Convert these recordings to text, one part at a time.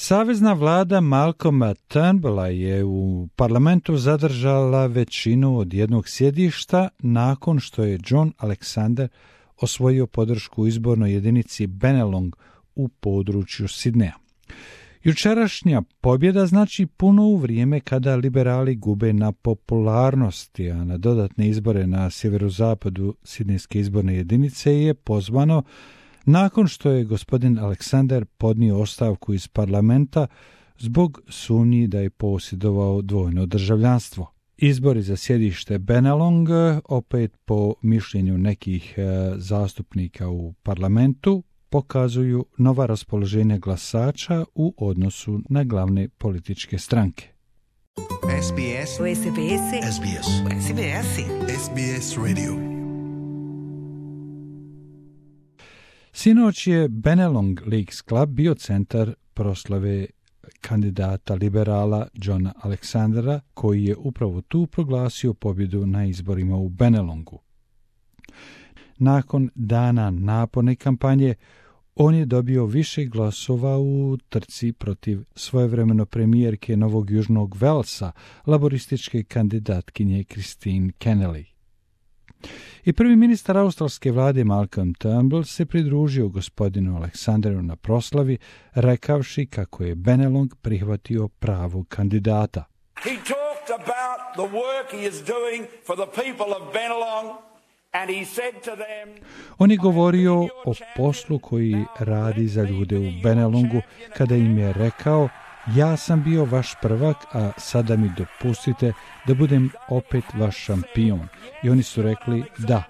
Savezna vlada Malcolma Turnbulla je u parlamentu zadržala većinu od jednog sjedišta nakon što je John Alexander osvojio podršku u izbornoj jedinici Bennelong u području Sidneja. Jučerašnja pobjeda znači puno u vrijeme kada liberali gube na popularnosti, a na dodatne izbore na sjeverozapadu Sidnejske izborne jedinice je pozvano nakon što je gospodin Alexander podnio ostavku iz parlamenta zbog sumnji da je posjedovao dvojno državljanstvo. Izbori za sjedište Bennelong, opet po mišljenju nekih zastupnika u parlamentu, pokazuju nova raspoloženja glasača u odnosu na glavne političke stranke. SBS Radio. Sinoć je Bennelong Leagues Club bio centar proslave kandidata liberala Johna Alexandera, koji je upravo tu proglasio pobjedu na izborima u Bennelongu. Nakon dana naporne kampanje, on je dobio više glasova u trci protiv svojevremeno premijerke Novog Južnog Velsa, laborističke kandidatkinje Christine Kennelly. I prvi ministar australske vlade Malcolm Turnbull se pridružio gospodinu Alexanderu na proslavi, rekavši kako je Bennelong prihvatio pravog kandidata. He talked about the work he is doing for the people of Bennelong. On je govorio o poslu koji radi za ljude u Bennelongu kada im je rekao: ja sam bio vaš prvak, a sada mi dopustite da budem opet vaš šampion. I oni su rekli: da,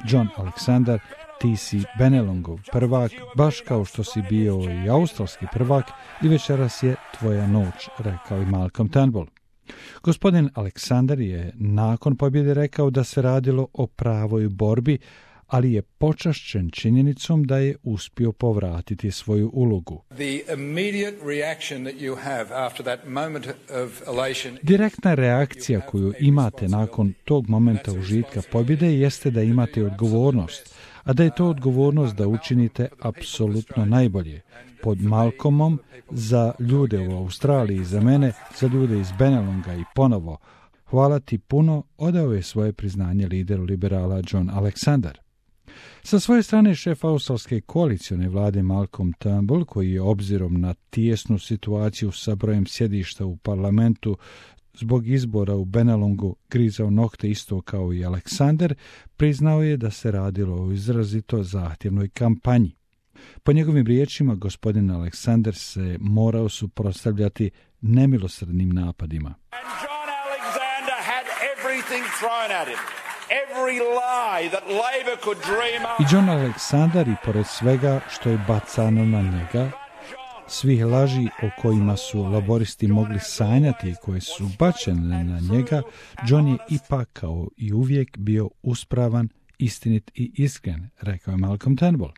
John Alexander, ti si Bennelongov prvak, baš kao što si bio i australski prvak i večeras je tvoja noć, rekao i Malcolm Turnbull. Gospodin Alexander je nakon pobjede rekao da se radilo o pravoj borbi, ali je počašćen činjenicom da je uspio povratiti svoju ulogu. Direktna reakcija koju imate nakon tog momenta užitka pobjede jeste da imate odgovornost, a da je to odgovornost da učinite apsolutno najbolje. Pod Malcolmom, za ljude u Australiji, za mene, za ljude iz Bennelonga i ponovo, hvala ti puno, odao je svoje priznanje lideru liberala John Alexander. Sa svoje strane šef australske koalicione vlade Malcolm Turnbull, koji je obzirom na tijesnu situaciju sa brojem sjedišta u parlamentu zbog izbora u Bennelongu grizao nokte isto kao i Alexander, priznao je da se radilo o izrazito zahtjevnoj kampanji. Po njegovim riječima, gospodin Alexander se morao suprotstavljati nemilosrdnim napadima. I John Alexander, i pored svega što je bacano na njega, svih laži o kojima su laboristi mogli sanjati i koje su bačene na njega, John je ipak kao i uvijek bio uspravan, istinit i iskren, rekao je Malcolm Turnbull.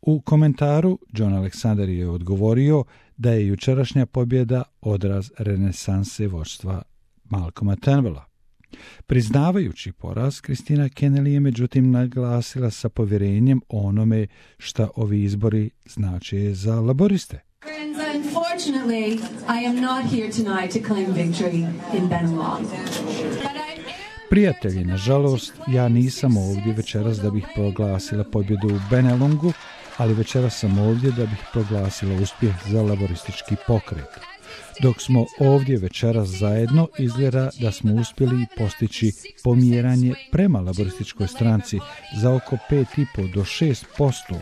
U komentaru John Alexander je odgovorio da je jučerašnja pobjeda odraz renesanse vođstva Malcolma Turnbulla. Priznavajući poraz, Christina Kennelly je međutim naglasila sa povjerenjem onome šta ovi izbori znače za laboriste. Unfortunately, I am not here tonight to claim victory in Bennelong. Prijatelji, nažalost, ja nisam ovdje večeras da bih proglasila pobjedu u Bennelongu, ali večeras sam ovdje da bih proglasila uspjeh za laboristički pokret. Dok smo ovdje večeras zajedno, izgleda da smo uspjeli postići pomjeranje prema laborističkoj stranci za oko 5,5 do 6%,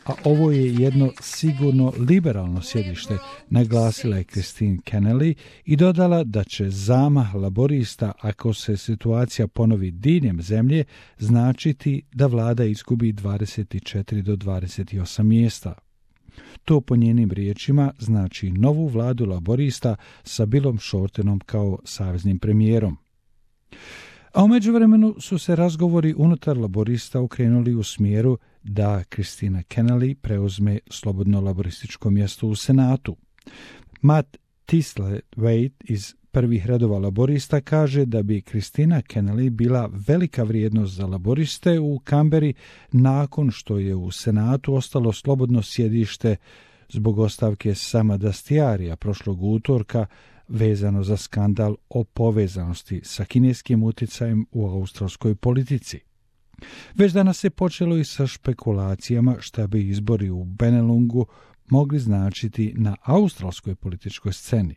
a ovo je jedno sigurno liberalno sjedište, naglasila je Christine Kennelly i dodala da će zamah laborista, ako se situacija ponovi diljem zemlje, značiti da vlada izgubi 24 do 28 mjesta. To po njenim riječima znači novu vladu laborista sa Billom Shortenom kao saveznim premijerom. A u međuvremenu su se razgovori unutar laborista okrenuli u smjeru da Christina Kennelly preuzme slobodno laborističko mjesto u Senatu. Matt Thistle-Waite iz prvih redova laborista kaže da bi Christina Kennelly bila velika vrijednost za laboriste u Kamberi nakon što je u Senatu ostalo slobodno sjedište zbog ostavke Sama Dastiarija prošlog utorka vezano za skandal o povezanosti sa kineskim utjecajem u australskoj politici. Već danas se počelo i sa špekulacijama šta bi izbori u Benelungu mogli značiti na australskoj političkoj sceni.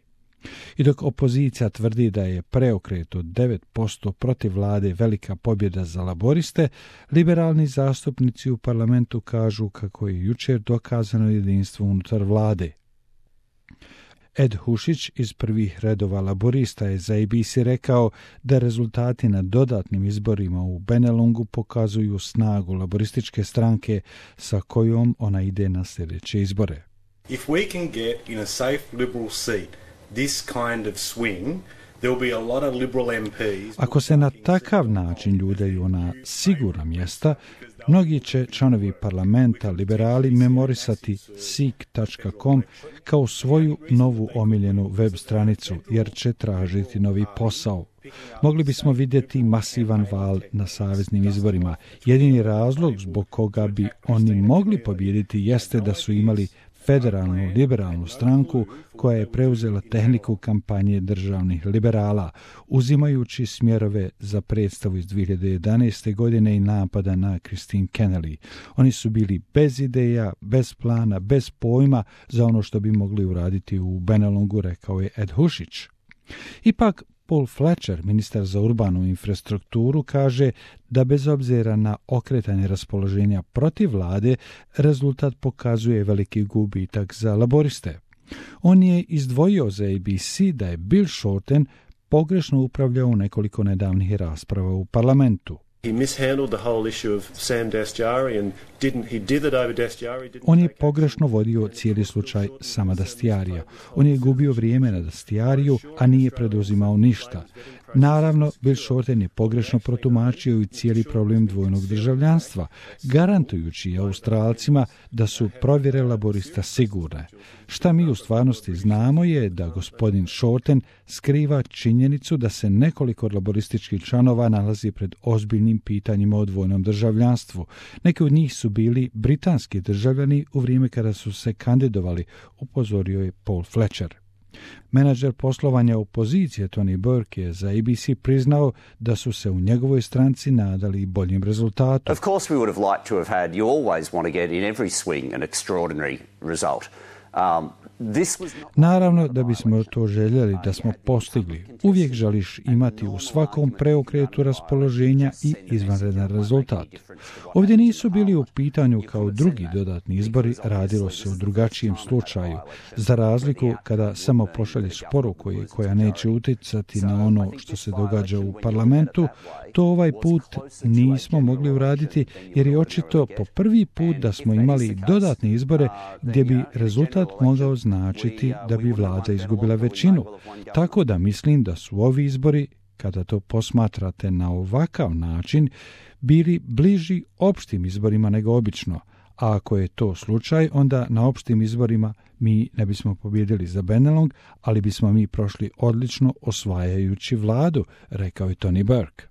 I dok opozicija tvrdi da je preokret od 9% protiv vlade velika pobjeda za laboriste, liberalni zastupnici u parlamentu kažu kako je jučer dokazano jedinstvo unutar vlade. Ed Hušić iz prvih redova laborista je za ABC rekao da rezultati na dodatnim izborima u Benelungu pokazuju snagu laborističke stranke sa kojom ona ide na sljedeće izbore. If we can get in a safe liberal seat this kind of swing, there will be a lot of liberal MPs. Ako se na takav način ljuljaju na sigurna mjesta, mnogi će članovi parlamenta liberali memorisati seek.com kao svoju novu omiljenu web stranicu, jer će tražiti novi posao. Mogli bismo vidjeti masivan val na saveznim izborima. Jedini razlog zbog koga bi oni mogli pobijediti jeste da su imali federalnu liberalnu stranku koja je preuzela tehniku kampanje državnih liberala, uzimajući smjerove za predstavu iz 2011. godine i napada na Christine Kennelly. Oni su bili bez ideja, bez plana, bez pojma za ono što bi mogli uraditi u Benelungu, rekao je Ed Hušić. Ipak, Paul Fletcher, ministar za urbanu infrastrukturu, kaže da bez obzira na okretanje raspoloženja protiv vlade, rezultat pokazuje veliki gubitak za laboriste. On je izdvojio za ABC da je Bill Shorten pogrešno upravljao u nekoliko nedavnih rasprava u parlamentu. He mishandled the whole issue of Sam Dastyari and he did it over Dastyari. On je pogrešno vodio cijeli slučaj Sama Dastiarija. On je gubio vrijeme na Dastiariju, a nije preduzimao ništa. Naravno, Bill Shorten je pogrešno protumačio i cijeli problem dvojnog državljanstva, garantujući Australcima da su provjere laborista sigurne. Šta mi u stvarnosti znamo je da gospodin Shorten skriva činjenicu da se nekoliko laborističkih članova nalazi pred ozbiljnim pitanjima o dvojnom državljanstvu. Neki od njih su bili britanski državljani u vrijeme kada su se kandidovali, upozorio je Paul Fletcher. Menadžer poslovanja opozicije Tony Burke je za ABC priznao da su se u njegovoj stranci nadali boljim rezultatom. Of course we would have liked to have had, you always want to get in every swing an extraordinary result. Naravno da bismo to željeli da smo postigli. Uvijek želiš imati u svakom preokretu raspoloženja i izvanredan rezultat. Ovdje nisu bili u pitanju kao drugi dodatni izbori, radilo se u drugačijem slučaju. Za razliku kada samo pošalješ poruku koja neće utjecati na ono što se događa u parlamentu, to ovaj put nismo mogli uraditi jer je očito po prvi put da smo imali dodatne izbore gdje bi rezultat mogao značiti da bi vlada izgubila većinu. Tako da mislim da su ovi izbori, kada to posmatrate na ovakav način, bili bliži opštim izborima nego obično. A ako je to slučaj, onda na opštim izborima mi ne bismo pobjedili za Benelong, ali bismo mi prošli odlično osvajajući vladu, rekao je Tony Burke.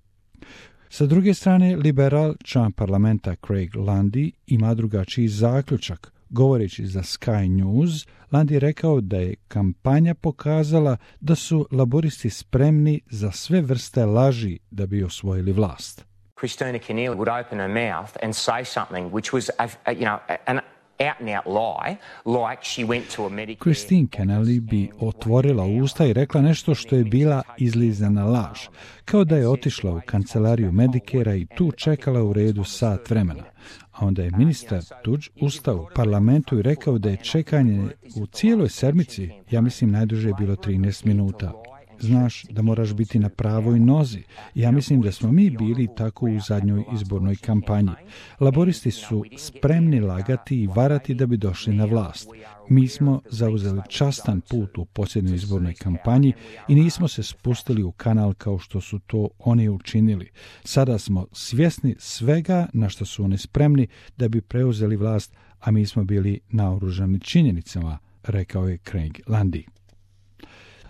Sa druge strane, liberal član parlamenta Craig Lundy ima drugačiji zaključak. Govoreći za Sky News, Lundy je rekao da je kampanja pokazala da su laboristi spremni za sve vrste laži da bi osvojili vlast. Christina Keneally would open her mouth and say something which was, an out-and-out lie, like she went to a Medicare... Christine Keneally bi otvorila usta i rekla nešto što je bila izlizana laž, kao da je otišla u kancelariju Medicarea i tu čekala u redu sat vremena. A onda je ministar Tudge ustao u parlamentu i rekao da je čekanje u cijeloj sedmici, ja mislim najduže je bilo 13 minuta. Znaš da moraš biti na pravoj nozi. Ja mislim da smo mi bili tako u zadnjoj izbornoj kampanji. Laboristi su spremni lagati i varati da bi došli na vlast. Mi smo zauzeli častan put u posljednjoj izbornoj kampanji i nismo se spustili u kanal kao što su to oni učinili. Sada smo svjesni svega na što su oni spremni da bi preuzeli vlast, a mi smo bili naoružani činjenicama, rekao je Craig Lundy.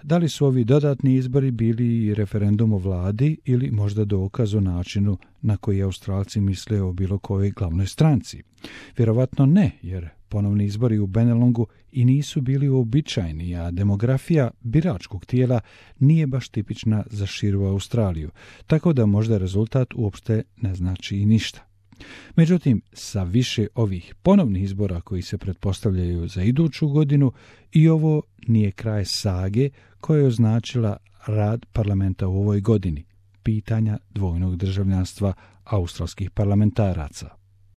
Da li su ovi dodatni izbori bili referendum o vladi ili možda dokaz o načinu na koji Australci misle o bilo kojoj glavnoj stranci? Vjerovatno ne, jer Ponovni izbori u Benelongu i nisu bili uobičajeni, a demografija biračkog tijela nije baš tipična za širu Australiju, tako da možda rezultat uopšte ne znači i ništa. Međutim, sa više ovih ponovnih izbora koji se pretpostavljaju za iduću godinu, i ovo nije kraj sage koja je označila rad parlamenta u ovoj godini, pitanja dvojnog državljanstva australskih parlamentaraca.